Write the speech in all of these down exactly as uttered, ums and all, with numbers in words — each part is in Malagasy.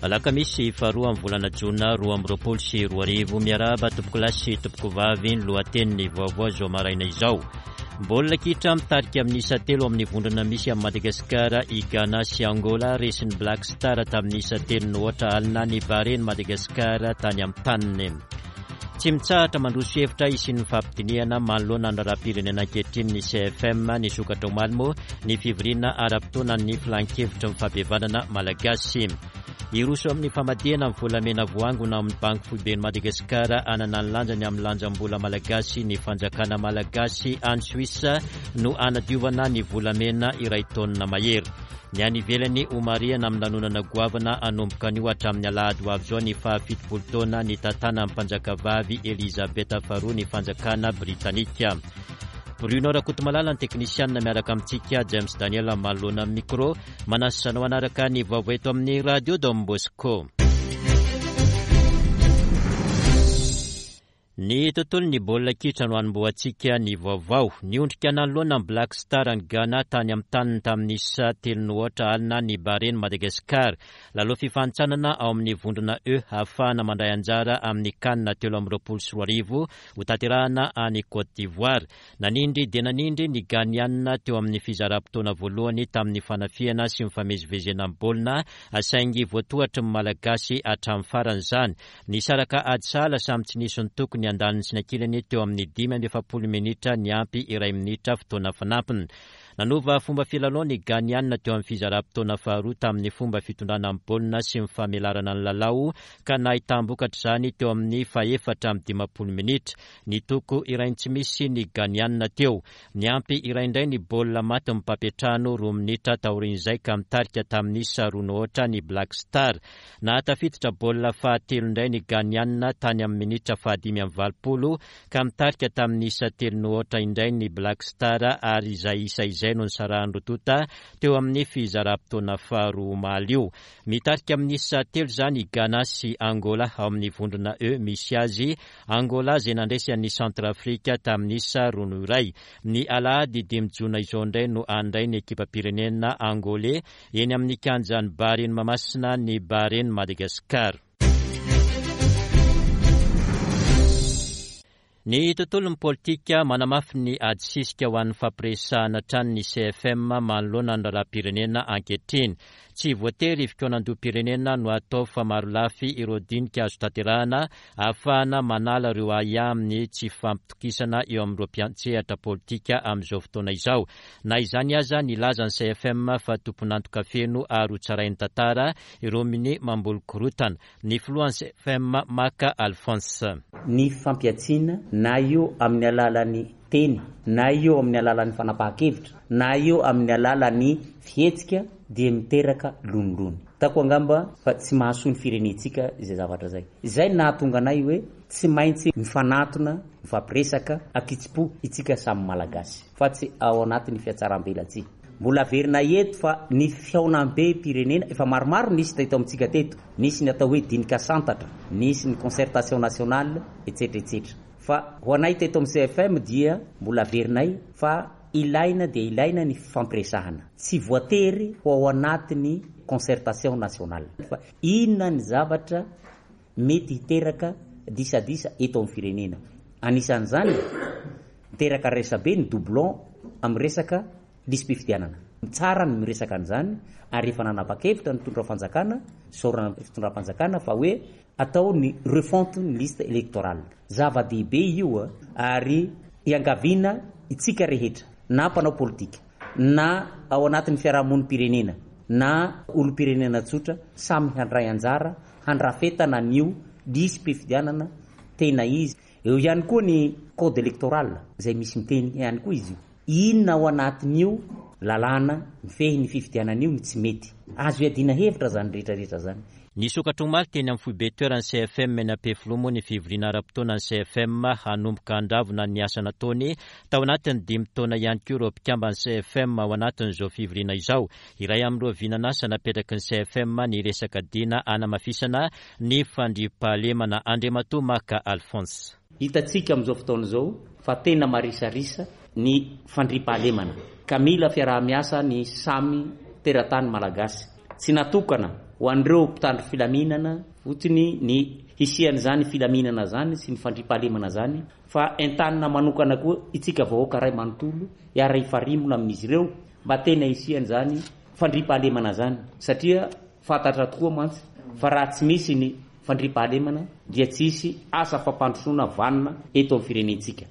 Alakamisy faharoa amin'ny volana jona roa amby roapolo sy roa arivo. Miarahaba tompokolahy sy tompokovavy, ny lohatenin'ny vaovao izao maraina izao. Baolina kitra, mitarika amin'ny isa telo amin'ny vondrona misy amin'ny Madagasikara i Ghana sy Angola. Resin'ny Black Star tamin'ny isa telo no aotra alina ny Baren'i Madagasikara tany amin'ny taniny. Tsy mitsahatra mandroso hevitra hisian'ny fampidinihana manoloana ny raharaham-pirenena ankehitriny ny C F M. Nisokatra omaly moa ny fivoriana ara-potoana ny filan-kevitra ny fampihavanana malagasy. Hiroso amin'ny famadihana ny volamena voangona amin'ny Banky Foiben'i Madagasikara hanana ny lanjany amin'ny lanjam-bola malagasy ny fanjakana malagasy. Any Suisse no anadiovana ny volamena iray taonina mahery. Ny any ivelany, homarihana amin'ny lanonana goavana hanomboka anio hatramin'ny alahady ho avy izao ny fahafitopolo taona nitantanan'ny mpanjakavavy Elizabeth faharoa ny fanjakana britanika. Bruno Rakotomalala ny teknisianina miaraka amintsika, James Daniel manoloana amin'ny micro. Manasa anao hanaraka ny vaovao eto amin'ny Radio Don Bosco. Ny tontolo ny baolina kitra no anombohantsika ny vaovao. Niondrika nanoloana ny Black Star ny Ghana tany amin'ny taniny tamin'ny isa telo no aotra alina ny Baren'i Madagasikara. Lalao fifanintsanana ao amin'ny vondrona E ahafahana mandray anjara amin'ny CAN telo amby roapolo sy roa arivo ho tanterahana any Côte d'Ivoire. Nanindry dia nanindry ny Ghanianina teo amin'ny fizaram-potoana voalohany tamin'ny fanafihana sy mifamezivezena amin'ny baolina, saingy voatohitry ny Malagasy hatramin'ny farany izany. Nisaraka ady sahala samy tsy nisy ny tokony andaniny sy ny ankilany teo amin'ny dimy amby efapolo minitra niampy iray minitra fotoana fanampiny. Nanova fomba filalao ny Ghanianina teo amin'ny fizaram-potoana faharoa tamin'ny fomba fitondrana amin'ny baolina sy ny famelarana ny lalao, ka nahitam-bokatra izany teo amin'ny fahefatra amby dimampolo minitra. Ny toko iray tsy misy ny Ghanianina teo. Niampy iray indray ny baolina maty ny mpampiantrano roa minitra taorian'izay, ka mitarika tamin'ny isa roa no aotra ny Black Star. Nahatafiditra baolina fahatelo indray ny Ghanianina tany amin'ny minitra fahadimy amby valopolo, ka mitarika tamin'ny isa telo no aotra indray ny Black Star, ary izay isa izay no nisarahan'ny roa tonta teo amin'ny fizaram-potoana faharoa omaly io. Mitarika amin'ny isa telo izany i Ghana sy Angola ao amin'ny vondrona E misy azy. Angola izay nandresy an'ny Centrafrique tamin'ny isa roa no iray. Ny alahady dimy jona izao indray no handray ny ekipam-pirenena angolais eny amin'ny kianjan'ny Baren'i Mahamasina ny Baren'i Madagasikara. Ny tontolon'ny politika, manamafy ny ady sisika ho an'ny fampiresahana hatrany ny C F M manoloana ny raharaham-pirenena ankehitriny. Tsy voatery fikaonandoham-pirenena no atao fa marolafy ireo dinika azo tanterahana ahafahana manala ireo ahiahy amin'ny tsy fampitokisana eo amin'ireo mpiantsehatra politika amin'izao fotoana izao. Na izany aza, nilaza ny C F M fa tompon'antoka feno ary ho tsarain'ny tantara ireo minia mamboly korontana. Ny filohan'ny C F M, Maka Alphonse. Ny fampihantsiana, na io amin'ny alalan'ny teny, na io amin'ny alalan'ny fanapahan-kevitra, na io amin'ny alalan'ny fihetsika, dia miteraka lonilony tako angamba fa tsy mahasoa ny firenentsika izay zavatra zay. Zay nahatonga anay hoe tsy maintsy mifanatona, mifampiresaka akitsi-po itsika samy Malagasy, fa tsy ao anatin'ny fihatsarambelatsihy. Mbola averina eto fa ny fihaonambe-pirenena efa maromaro nisy teto amintsika teto, nisy ny atao hoe dinika santatra, nisy ny concertation nationale, etcetera etcetera. Fa ho anay teto amin'ny C F M dia mbola averinay fa ilaina dia ilaina ny fampiresahana, tsy voatery ho ao anatin'ny concertation nationale, fa inona ny zavatra mety hiteraka disadisa eto amin'ny firenena. Anisan'izany miteraka resabe ny doublon amin'ny resaka lisi-pifidianana. Tsara ny miresaka an'izany, ary efa nanapa-kevitra ny tondra fanjakana, saorana fitondram-panjakana, fa hoe atao ny refonte ny liste électorale. Zava-dehibe io a, ary iangaviana itsika rehetra, na mpanao politika, na ao anatin'ny fiarahamonim-pirenena, na olom-pirenena tsotra, samy handray anjara handrafetana an'io lisi-pifidianana tena izy. Eo ihany koa ny code électoral zay misy miteny ihany koa izy io, inona ao anatin'io lalàna mifehy ny fifidianana io ny tsy mety, azo iadiana hevitra zany rehetrarehetra zany. Nisokatra omaly teny amin'ny foibe toeran'ny C F M eny Ampefiloha moa ny fivoriana ara-potoana ny C F M. Hanomboka handravona ny asa nataony tao anatin'ny dimy taona ihany koa ireo mpikamban'ny C F M ao anatin'izao fivoriana izao. Iray amin'ireo vinanasa napetraky ny C F M ny resaka dina anamafisana ny fandriampahalemana. Andriamatoa Maka Alphonse. Hitantsika amin'izao fotoana izao fa tena marisarisa ny fandriampahalemana, ka mila fiaraha-miasa ny samy teratany malagasy, tsy natokana ho an'ireo mpitandro filaminana fotsiny ny hisian'izany filaminana zany sy ny fandriampahalemana zany, fa entanina manokana koa itsika vahoaka ray manontolo hiara hifarimbona amin'izy ireo mba tena hisian'izany fandriampahalemana zany, satria fantatra tokoa mantsy fa raha tsy misy ny fandriampahalemana dia tsy hisy asa fampandrosoana vanona eto amin'ny firenentsika.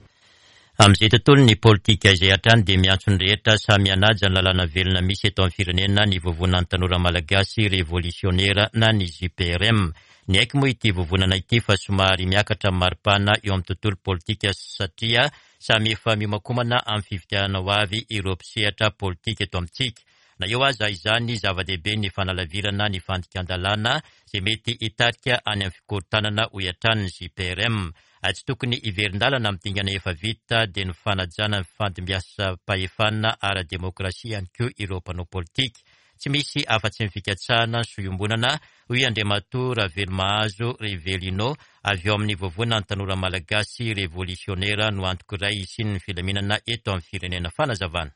Amin'izay tontolo ny politika izay hatrany dia miantso ny rehetra samy hanaja ny lalàna velona misy eto amin'ny firenena ny vovonan'ny tanora malagasy revolisiônera na ny J P R M. Niaiky moa ity vovonana ity fa somary miakatra amin'ny maripana eo amin'ny tontolo politika satria samy efa miomakomana amin'ny fifidianana ho avy ireo mpisehatra politika eto amintsika. Na eo aza izany, zava-dehibe ny fanalavirana ny fandikan-dalàna izay mety hitarika any amin'ny fikorontanana hoy hatrany ny J P R M. Tsy tokony hiverin-dalana amin'ny dingana efa vita dia ny fanajana ny fandimbiasam-pahefana ara-demokrasia ihany koa ireo mpanao politika. Tsy misy afa-tsy ny fikatsahana ny soiombonana hoy Andriamatoa Ravelomahazo Rivelino avy eo amin'ny vovonan'ny tanora malagasy revolisiônera no antoko iray hisian'ny filaminana eto amin'ny firenena. Fanazavana.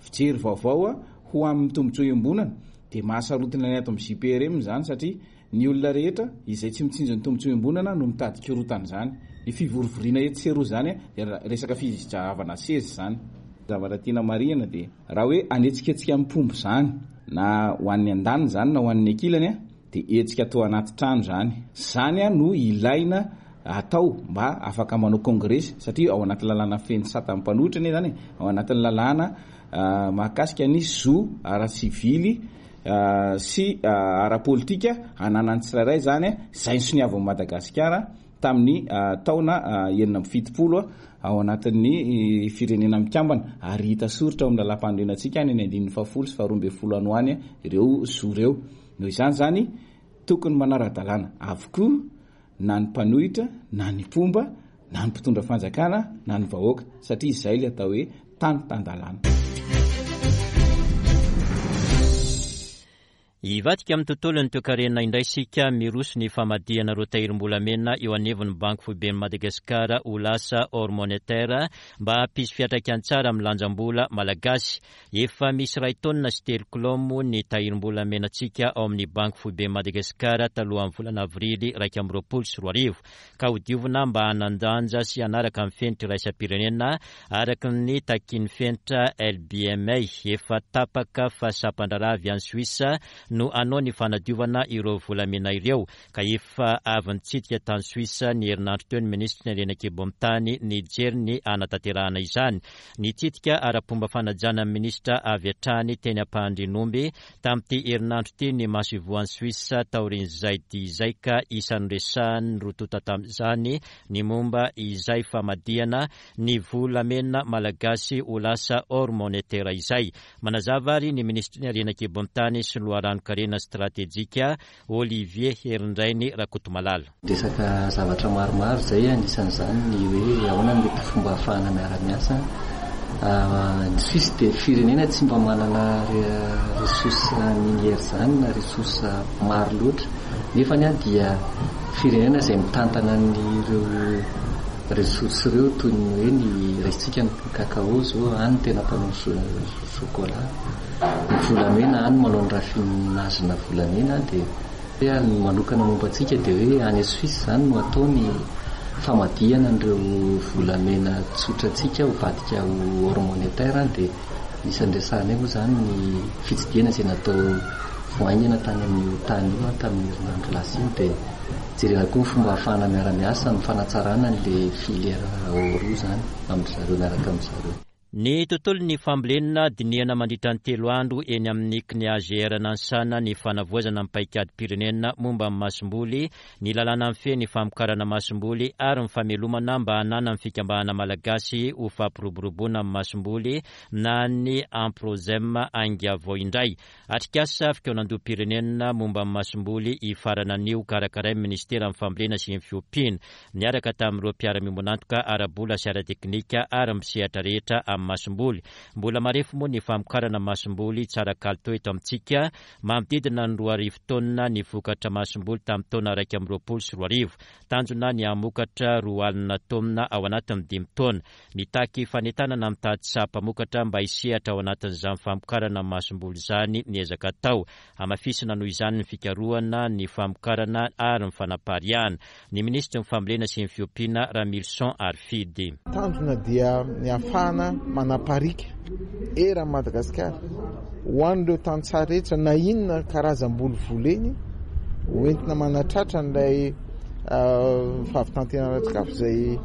Fijery vaovao ho amin'ny tombontsoa iombonana dia mahasarotina ny ato amin'ny J P R M izany, satria ny olona rehetra izay tsy mitsinjo ny tombontsoa iombonana no mitady korotana izany. Ny fivorivoriana etsy sy eroa izany dia resaka fizahavana seza izany. Zavatra tiana marihana dia raha hoe anetsiketsika amin'ny mpombo izany na ho an'ny andaniny izany na ho an'ny ankilany dia hetsika atao anaty trano izany. Izany no ilaina atao mba afaka manao kongresy, satria ao anaty lalàna feno sata mpanohitra anie izany, ao anatin'ny lalàna mahakasika ny zo ara-sivily sy ara-politika ananan'ny tsirairay izany, izay nosoniavin'i Madagasikara tamin'ny taona enina amby fitopolo ao anatin'ny firenena mikambana, ary hita soritra ao amin'ny lalàm-panorenantsika any ny andininy fahafolo sy faharoa ambin'ny folo any ho any ireo zo ireo. Noho izany izany tokony manara-dalàna avokoa na ny mpanohitra na ny mpomba na ny mpitondra fanjakana na ny vahoaka, satria izay ilay atao hoe tany tan-dalàna. Hivadika amin'ny tontolon'ny toekarena indray isika. Miroso ny famadihana ireo tahirim-bolamena eo anivon'ny Banky Foiben'i Madagasikara ho lasa or monétaire mba hampisy fiantraikany tsara amin'ny lanjam-bola malagasy. Efa misy iray taonina sy telo kilao moa ny tahirim-bolamenantsika ao amin'ny Banky Foiben'i Madagasikara talohan'ny volana avrily iraika amby roapolo sy roa arivo, ka hodiovina mba hanan-danja sy hanaraka ny fenitra iraisam-pirenena araka ny takin'ny fenitra L B M A. Efa tapaka fa sampan-draharaha avy any Suisse no hanao ny fanadiovana ireo volamena ireo, ka efa avy nitsidika tany Suisse ny herinandro teo ny minisitry ny harena an-kibon'ny tany nijery ny hanatanterahana izany. Nitsidika ara-pomba fanajana ny minisitra avy hatrany teny Ampahandrianomby tamin'ity herinandro ity ny masoivohon'i Suisse taorian'izay dia izay, ka isan'ny resahan'ny roa tonta tamin'izany ny momba izay famadihana ny volamena malagasy ho lasa or monétaire izay. Manazava ary ny minisitry ny harena an-kibon'ny tany sy loharanon-karena stratejika Olivier Herindrainy Rakotomalala. Resaka zavatra maromaro izay, anisan'izany ny hoe ahoana ny mety fomba ahafahana miara-miasa. Ny Suisse dia firenena tsy mba manana ressource minière izany na ressource maro loatra, nefa ny dia firenena izay mitantana an'ireo ressource ireo, toy ny hoe ny raisitsika ny cacao zao, any tena mpanao chocolat, ny volamena any manao ny raffinage-na volamena. Dia ny manokana momba antsika dia hoe any Suisse izany no atao ny famadihana an'ireo volamena tsotra antsika ho vadika ho or monétaire. Dia isan'ny resahanay moa izany ny fitsidihana izay natao voaingana tany amin'io tany io tamin'ny herinandro lasa iny, dia jerena koa ny fomba ahafahana miara-miasa amin'ny fanatsarana an'ilay filière or io izany amin-dry zareo miaraka amin-dry zareo. Ny tontolon'ny fambolena dinihana mandritra ny telo andro eny amin'ny C N I A G R Nansana ny fanavoazana ny paikadym-pirenena momba ny masomboly, ny lalàna mifehy ny famokarana masomboly ary ny famelomana mba hananan'ny fikambanana malagasy ho fampiroboroboana ny masomboly na ny Amprozem Ainga vao indray. Atrikasa fikaonandoham-pirenena momba ny masomboly hifarana anio karakarain'ny ministeran'ny fambolena sy ny fiompiana niaraka tamin'ireo mpiara-miombon'antoka ara-bola sy ara-teknika ary misehatra rehetra amin'ny amin'ny masomboly. Mbola marefo moa ny famokarana masomboly tsara kalitao eto amintsika, manodidina ny roa arivo taonina ny vokatra masomboly tamin'ny taona iraika amby roapolo sy roa arivo. Tanjona ny hamokatra roa alina taonina ao anatin'ny dimy taona. Mitaky fanentanana mitady saha-mpamokatra mba hisehatra ao anatin'izany famokarana masomboly izany ny ezaka atao. Hamafisina noho izany ny fikarohana, ny famokarana ary ny fanapariahana. Ny minisitry ny fambolena sy ny fiompiana, Ramilison Harifidy. Tanjona dia ny ahafahana manaparika eran'i Madagasikara ho an'ireo tantsaha rehetra na inona karazam-boly voleny hoentina manatratra an'ilay fahavitan-tena ara-tsakafo izay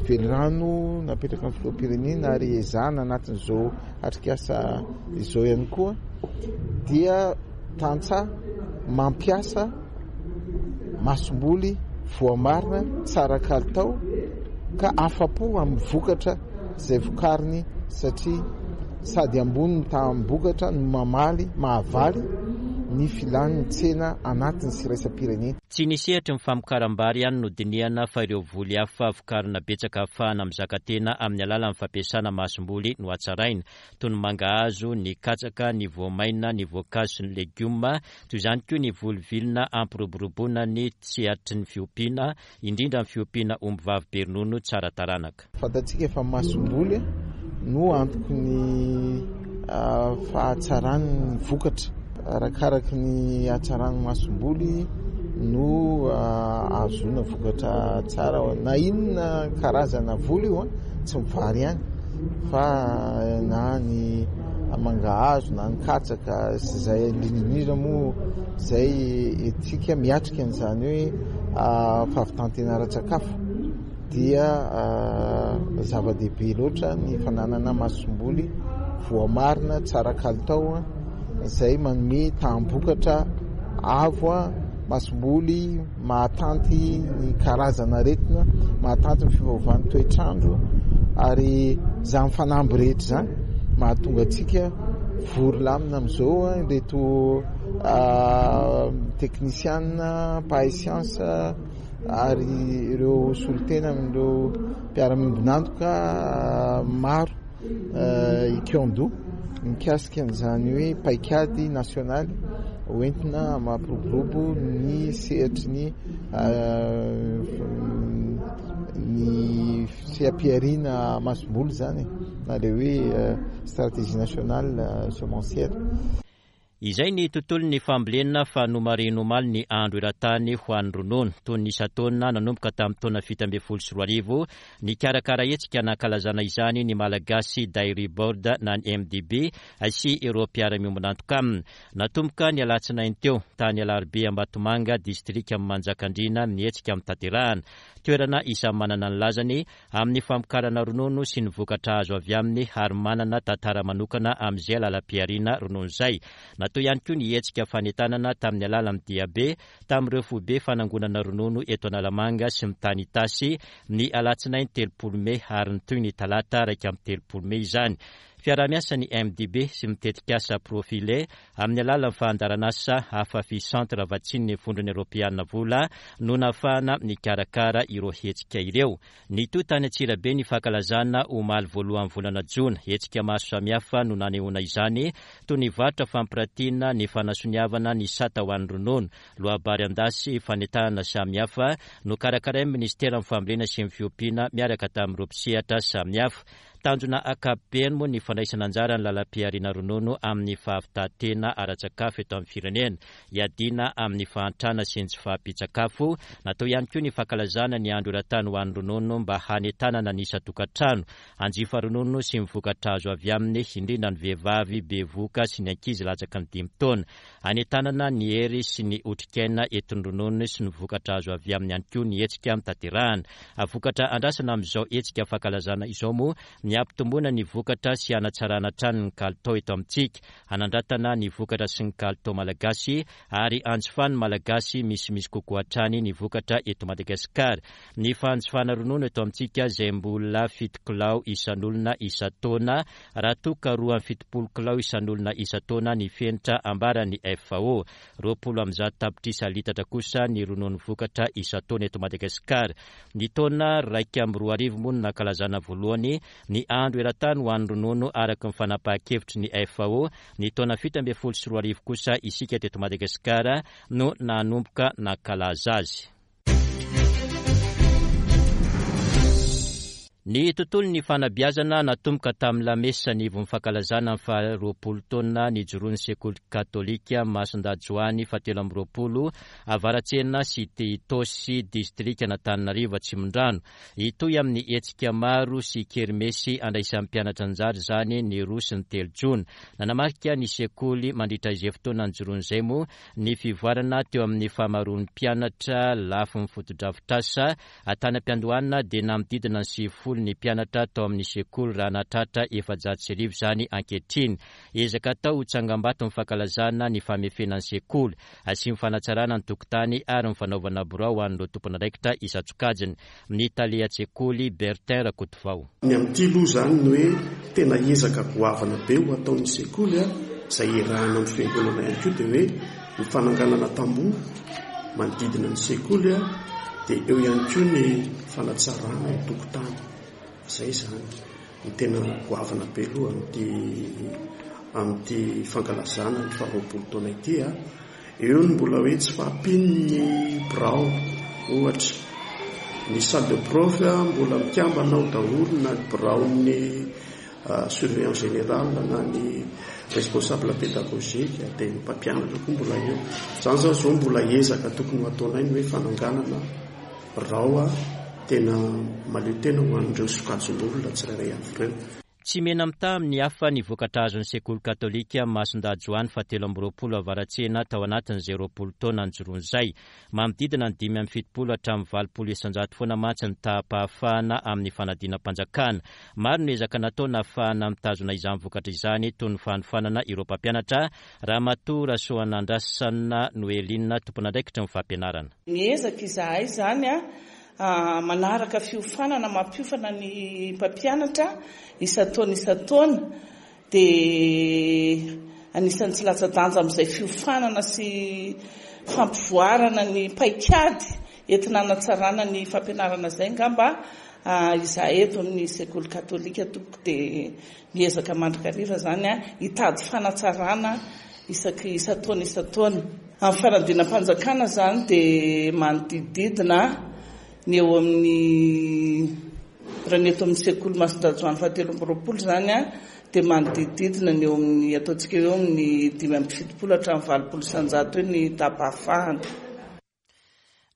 velirano napetraka ny filoham-pirenena ary ezahana anatin'izao atrikasa izao ihany koa dia tantsaha mampiasa masomboly voamarina tsara kalitao ka afa-po amin'ny vokatra izay vokariny satria sady ambony ny taham-bokatra no mamaly mahavaly ny filan'ny tsena anatiny sy iraisam-pirenena. Tsy ny sehatry ny famokaram-bary ihany no dinihana fa ireo voly hafa vokarina betsaka ahafahana mizaka tena amin'ny alalan'ny fampiasana masomboly no hatsaraina, toy ny mangahazo, ny katsaka, ny voamaina, ny voankazo sy ny legioma, toy izany koa ny voly vilona hampiroboroboana ny sehatry ny fiompiana, indrindra ny fiompiana ombivavy be ronono tsara taranaka. Fantatsika fa masomboly no antoky ny fahatsaran'ny vokatra. Arakaraky ny hatsaran'ny masomboly no ahazoana vokatra tsara. Na inona karazana voly io, tsy mivary ihany fa na ny mangahazo na ny katsaka sy izay indrindra indrindra moa izay etsika miatrika an'izany hoe fahavitan-tena ara-tsakafo dia zava-dehibe loatra ny fananana masomboly voamarina tsara kalitao izay manome taham-bokatra avo, masomboly mahatanty ny karazana aretina, mahatanty ny fiovaovan'ny toetrandro ary izany fanamby rehetra izany mahatonga antsika vory lamina amin'izao ireto teknisiana, mpahay siansa ary ireo solontena amin'ireo mpiara-miombon'antoka maro ikaondoha mikasika an'izany hoe paikady nasionaly hoentina mampiroborobo ny sehatry ny ny seha-pihariana masomboly zany na le hoe stratégie nationale semencière. Izay ny tontolon'ny fambolena fa nomarihina omaly ny andro eran-tany ho an'ny ronono. Toy ny isan-taona nanomboka tamin'ny taona fito ambin'ny folo sy roa arivo, nikarakara hetsika nankalazana izany ny Malagasy Dairy Board na ny M D B sy ireo mpiara-miombon'antoka aminy. Natomboka ny alatsinainy teo tany Alarobia Ambatomanga, distrika Manjakandriana, ny hetsika mitaterahana. Toerana isan'ny manana ny lazany amin'ny famokarana ronono sy ny vokatra azo avy aminy ary manana tantara manokana amin'izay lalam-pihariana ronono izay. Natao ihany koa ny hetsika fanentanana tamin'ny alalan'ny diabe tamin'ireo foibe fanangonana ronono eto Analamanga sy mitany Itasy ny alatsinainy telopolo mey ary nitohy ny talata iraika amby telopolo mey izany. Fiaraha-miasa ny M D B sy mitetikasa Profile amin'ny alalan'ny fandaharanasa Afafi Centre vatsian'ny Vondrona Eoropeana vola no nahafahana nikarakara ireo hetsika ireo. Nitohy tany Antsirabe ny fankalazana omaly voalohan'ny volana jona. Hetsika maro samihafa no nanehoana izany, toy ny varotra fampiratiana, ny fanasoniavana ny sata ho an'ny ronono, loabary an-dasy, fanentanana samihafa no karakarain'ny ministeran'ny fambolena sy ny fiompiana miaraka tamin'ireo mpisehatra samihafa. Tanjona ankapobeny moa ny fandraisana anjara ny lalam-pihariana ronono amin'ny fahavitan-tena ara-tsakafo eto amin'ny firenena, hiadiana amin'ny fahantrana sy ny tsy fahampian-tsakafo. Natao ihany koa ny fankalazana ny andro eran-tany ho an'ny ronono mba hanentanana ny isan-tokantrano hanjifa ronono sy ny vokatra azo avy aminy, indrindra ny vehivavy bevohoka sy ny ankizy latsaky ny dimy taona. Hanentanana ny hery sy ny otrikaina entin'ny ronono sy ny vokatra azo avy aminy ihany koa ny hetsika mitaterahana. Vokatra andrasana amin'izao hetsika fankalazana izao moa ny hampitomboana ny vokatra sy hanatsarana hatrany ny kalitao eto amintsika, hanandratana ny vokatra sy ny kalitao malagasy ary hanjifan'ny Malagasy misimisy kokoa hatrany ny vokatra eto Madagasikara. Ny fanjifana ronono eto amintsika izay mbola fito kilao isan'olona isan-taona, raha toa ka roa amby fitopolo kilao isan'olona isan-taona ny fenitra ambaran'ny F A O. Roapolo amby zato tapitrisa litatra kosa ny ronono vokatra isan-taona eto Madagasikara. Ny taona raika amby roa arivo moa no nankalazana voalohany ny Ny andro eran-tany ho an'ny ronono araka ny fanapahan-kevitry ny F A O ny taona fito ambin'ny folo sy roa arivo kosa isika teto Madagasikara no nanomboka nankalaza azy. Ny tontolo ny fanabeazana natomboka tamin'ny lamesa ny ivon'ny fankalazana ny faharoapolo taona nijoroan'ny sekoly katolika Masindahy Joany fahatelo amby roapolo Avaratsena cité Itaosy, distrika Antananarivo Atsimondrano. Hitohy amin'ny hetsika maro sy kermesy andraisan'ny mpianatra anjara izany ny roa sy ny telo jona. Nanamarika ny sekoly mandritra izay fotoana nijoroan'izay moa ny fivoarana teo amin'ny fahamaroan'ny mpianatra lafiny fotodrafitrasa. Tany am-piandohana dia manodidina ny sivifolo ny mpianatra tao amin'ny sekoly raha nahatratra efajato sy arivo izany ankehitriny. Ezaka atao ho tsangambato ny fankalazana ny famefena ny sekoly sy ny fanatsarana ny tokotany ary ny fanaovana birao ho an'ireo tompon'andraikitra isan-tsokajiny. Ny tale an-tsekoly Bertin Rakotovao. Ny amin'ity aloha izany ny hoe tena ezaka goavana be ho ataon'ny sekoly a izay iarahana amin'ny fiangonana ihany koa dia hoe ny fananganana tamboho manodidina ny sekoly a dia eo ihany koa ny fanatsarana ny tokotany. Izay izany ny tena goavana be aloha amin'ity amin'ity fankalazana ny faharoapolo taona ity a eo ny mbola hoe tsy fahampian'ny birao, ohatra ny salle de prof mbola mikambana ao daholo na ny biraon'ny surveillant général na ny responsable pédagogique, dia ny mpampianatra koa mbola eo. Zany zany zao mbola ezaka tokony ho ataonay ny hoe fananganana birao a tena mahaleo tena ho an'ireo sokajin'olona tsirairay avy ireo. Tsy mena mitaha amin'ny hafa ny vokatra azon'ny sekoly katolika Masindahy Joany fahatelo amby roapolo Avaratsena tao anatin'izay roapolo taona nijoroan'izay. Manodidina ny dimy amby fitopolo hatramin'ny valopolo isanjato foana mantsy ny taham-pahafahana amin'ny fanadinam-panjakana. Maro ny ezaka natao nahafahana mitazona izany vokatra izany, toy ny fanofanana ireo mpampianatra. Ramatoa Rasoanandrasana Noeline, tompon'andraikitra ny fampianarana. Miezaka izahay zany a manaraka fiofanana, mampiofana ny mpampianatra isan-taona isan-taona, dia anisan'ny tsy latsa-danja amin'izay fiofanana sy fampivoarana ny paikady entina hanatsarana ny fampianarana izay ngamba izahay eto amin'ny sekoly katolika tompoko, dia miezaka mandrakariva zany a hitady fanatsarana isaky isan-taona isan-taona. Amin'ny fanadinam-panjakana zany dia manodidididina ny eo amin'ny, raha ny eto amin'ny sekoly Masindahy Joany fahatelo amby roapolo zany a dia manodidididina ny eo amin'ny ataontsika eo amin'ny dimy amby fitopolo hatramin'ny valopolo isanjato eo ny taham-pahafahana.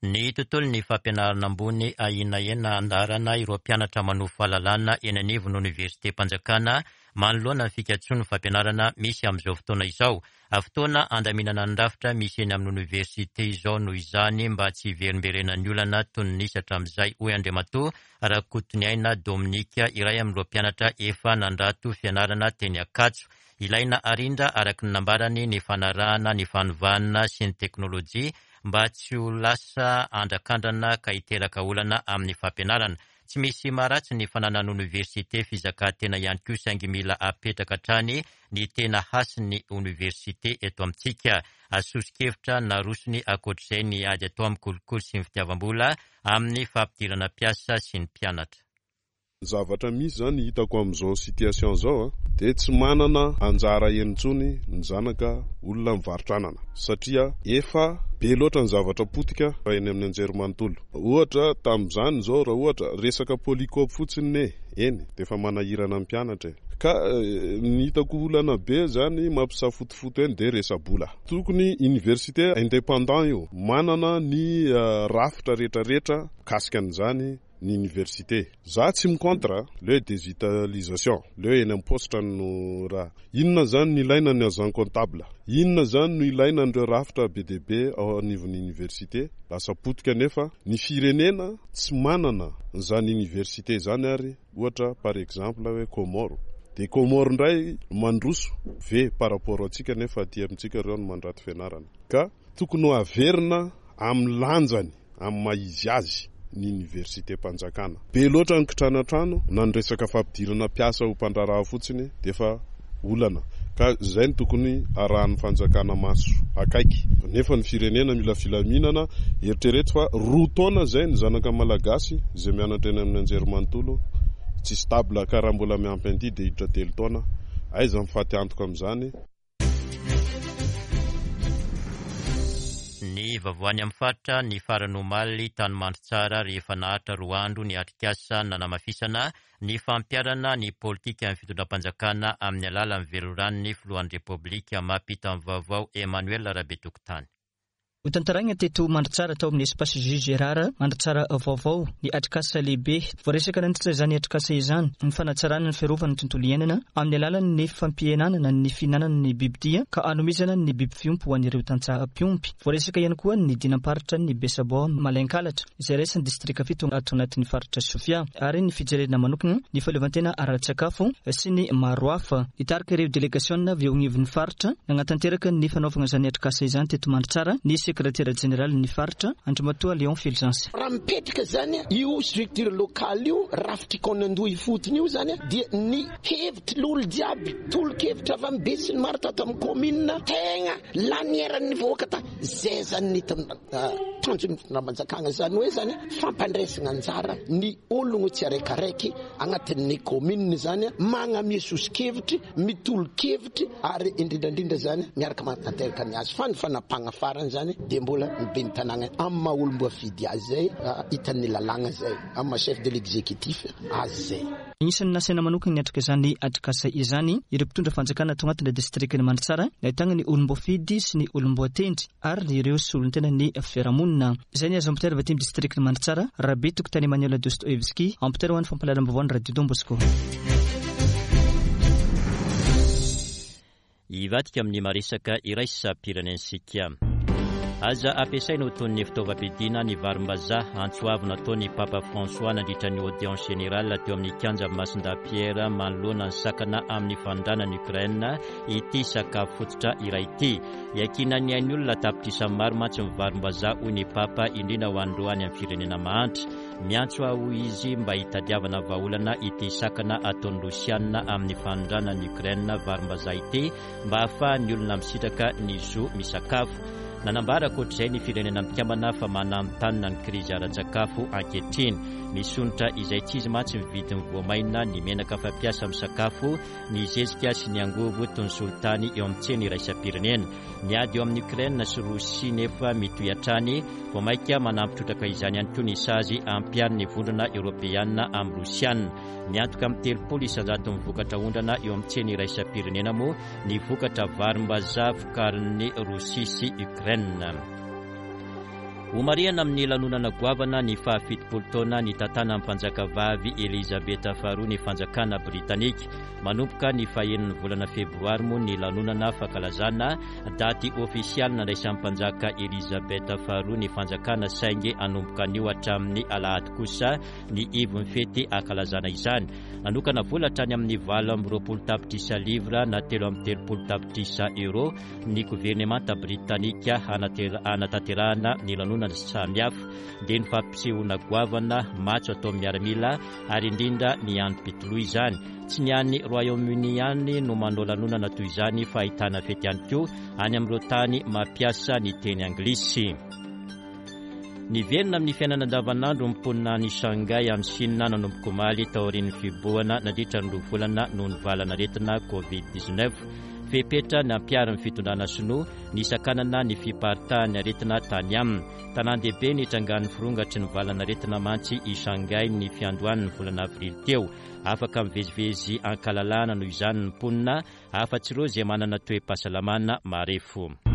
Ny tontolo ny fampianarana ambony ahiana andarana ireo mpianatra manovo fahalalana eny anivon'ny oniversitem-panjakana manoloana ny fikatsoan'ny fampianarana misy amin'izao fotoana izao. Fotoana andaminana ny rafitra misy eny amin'ny oniversite izao noho izany mba tsy hiverimberenan'ny olana toy ny nisy hatramin'izay, hoy Andriamatoa Rakotoniaina Dominika, iray amin'ireo mpianatra efa nandrato fianarana teny Ankatso. Ilaina arindra araka ny nambarany ny fanarahana ny fanovana sy ny teknôlôjia mba tsy ho lasa andrakandrana ka hiteraka olana amin'ny fampianarana. Tsy misy maharatsy ny fananana oniversite fizakantena ihany koa, saingy mila apetraka hatrany ny tena hasin'ny oniversite eto amintsika. Soso-kevitra narosony ankoatr'izay ny ady atao amin'ny kolikoly sy ny fitiavam-bola amin'ny fampidirana mpiasa sy ny mpianatra. Ny zavatra misy zany hitako amin'izao situation zao a dia tsy manana anjara eny intsony ny zanaka olona mivarotra anana, satria efa be loatra ny zavatra potika eny amin'ny anjerimanontolo. Ohatra tamin'izany zao, raha ohatra resaka polycope fotsiny ne eny dia efa manahirana ny mpianatra e. Ka ny hitako olana be zany mampisafotofoto eny dia resa-bola. Tokony université indépendant io, manana ny rafitra rehetrarehetra mikasika an'izany ny université. Za tsy mi-contre le digitalisation, le eny amin'ny poste no raha. Inona zany no ilaina ny agent comptable? Inona zany no ilaina an'ireo rafitra be dia be ao anivon'ny université? Lasa potika nefa ny firenena tsy manana zany université zany. Ary ohatra par exemple hoe Comore, dia Comore indray mandroso ve par rapport antsika, nefa aty amintsika ireo no mandrato fianarana? Ka tokony ho averina amin'ny lanjany amin'ny maha izy azy ny université mpanjakana. Be loatra ny kitranatrano na ny resaka fampidirana mpiasa ho mpandraharaha fotsiny dia efa olana, ka zay no tokony arahan'ny fanjakana maso akaiky. Nefa ny firenena mila filaminana. Eritrereto fa roa taona zay ny zanaka malagasy izay mianatra eny amin'ny anjerimanontolo tsy stable ka raha mbola miampy an'ity dia hiditra telo taona. Aiza mifaty antoka amin'izany? Ny vaovao any amin'ny faritra ny farany omaly tany Mandritsara rehefa naharitra roa andro ny atrikasa nanamafisana ny fampiharana ny politikan'ny fitondram-panjakana amin'ny alalan'ny veloran'ny filohan'ny Repoblika. Mampita ny vaovao Emmanuel Rabetokotany. Hotantaragna teto Mandritsara tao amin'ny Espace J Gérard Mandritsara vaovao ny atrikasa lehibe. Voaresaka nandritra izany atrikasa izany ny fanatsarana ny fiarovana ny tontolo iainana amin'ny alalan'ny fampihenana ny fihinanana ny bibidia ka hanomezana ny biby fiompy ho an'ireo tantsaha mpiompy. Voaresaka ihany koa ny dinam-paritra ny Besaboa Malainkalatra izay raisin'ny distrika fito ato anatin'ny faritra Sofia ary ny fijerena manokana ny fahaleovantena ara-tsakafo sy ny maro hafa. Nitarika ireo delegasiona avy eo anivon'ny faritra nanatanteraka ny fanaovana izany atrikasa izany teto Mandritsara ny sekretera jeneraly ny faritra Andriamatoa Léon Fulgence. Raha mipetraka zany io structure locale io, rafitry kaonandoha ifotony io zany dia ny hevitry l'olo jiaby, tolo-kevitra avy amin'ny be sy ny maro tato amin'ny commune tegna lanieran'ny vahoaka ta zay zany ny tanjon'ny fitondram-panjakana zany hoe zany fampandraisana anjara ny ologno tsy araikaraiky agnatin'ny commune zany magnamia soso-kevitry, mitolo-kevitry ary indrindrandrindra zany miaraka manatanteraka ny azy fa ny fanapahana farany zany dia mbola ny ben'ny tanàna amin'ny maha olom-boafidy azy zay hitan'ny lalàna zay amin'ny maha chef de l'exécutif azy zay. Anisan'ny nasaina manokana niatrika izany atrikasa izany ireo mpitondra fanjakana tao anatin'ny distrikan'i Mandritsara nahitana ny olom-boafidy sy ny olom-boatendry ary ireo solontena ny fiarahamonina. Izay ny azo ampitaina avy aty amin'ny distrikan'i Mandritsara, Rabetokotany Emmanuel Dostoevsky, ampitaina ho an'ny fampahalalam-baovao ny Radio Don Bosco. Hivadika amin'ny maresaka iraisam-pirenentsika. Aza ampiasaina ho toy ny fitaovam-piadiana ny varim-bazaha. Antso avo nataon'ny Papa François nandritra ny audience générale teo amin'ny kianja Masindahy Pierre manoloana ny sakana amin'ny fanondranana Ukraine ity sakafo fototra iray ity. Iankinan'ny ain'ny olona tapitrisa maro mantsy ny varim-bazaha hoy ny Papa, indrindra ho an'ireo any amin'ny firenena mahantra. Miantso aho izy mba hitadiavana vahaolana ity sakana ataon'ny Rosiana amin'ny fanondranana Ukraine varim-bazaha ity mba hahafahan'ny olona misitraka ny zo misakafo. Nanambara ankoatr'izay ny firenena mikambana fa mananontanona ny krizy ara-tsakafo ankehitriny. Misonitra izay tsy izy mantsy ny vidin'ny voamaina, ny menaka fampiasa amin'ny sakafo, ny zezika sy ny angovo toy ny solitany eo amin'ny tsena iraisam-pirenena. Ny ady eo amin'ny Ukraine sy Rosia nefa mitohy hatrany, vao mainka manampy trotraka izany ihany koa ny sazy ampiharin'ny vondrona eoropeana amin'ny Rosiana. Miantoka amin'ny telopolo isanjato ny vokatra ondrana eo amin'ny tsena iraisam-pirenena moa ny vokatra varim-bazaha vokarin'ny Rosia sy Ukraine. Homarihana amin'ny lanonana goavana ny fahafitopolo taona ny tantanan'ny mpanjakavavy Elizabeth faharoa ny fanjakana britanika. Manomboka ny fahenin'ny volana febroary moa ny lanonana fankalazana daty ofisialy nandraisan'ny mpanjaka Elizabeth faharoa ny fanjakana, saingy hanomboka anio hatramin'ny alahady kosa ny ivon'ny fety ankalazana izany. Nanokana vola hatrany amin'ny valo amby roapolo tapitrisa livra na telo amby telopolo tapitrisa euro ny governemanta britanika hanatanterahana ny lanonana samihafa, dia ny fampisehoana goavana matso atao miaramila ary indrindra ny androm-pitoloha izany. Tsy ny any Royaume-Uni ihany no manao lanonana toy izany fa ahitana fety ihany koa any amin'ireo tany mampiasa ny teny anglisy. Niverina amin'ny fiainana andavanandro ny mponina any Shanghai any Chine nanomboka omaly taorian'ny fihibohana nandritra ny roa volana noho ny valanaretina covid dix-neuf. Fepetra nampiharin'ny fitondrana sinoa nisakanana ny fiparitahan'ny aretina tany aminy. Tanàn-dehibe nitrangan'ny firongatry ny valanaretina mantsy i Shanghai ny fiandohan'ny volana avrily teo. Afaka mivezivezy ankalalahana noho izany ny mponina afa-tsy ireo izay manana toe-pahasalamana marefo.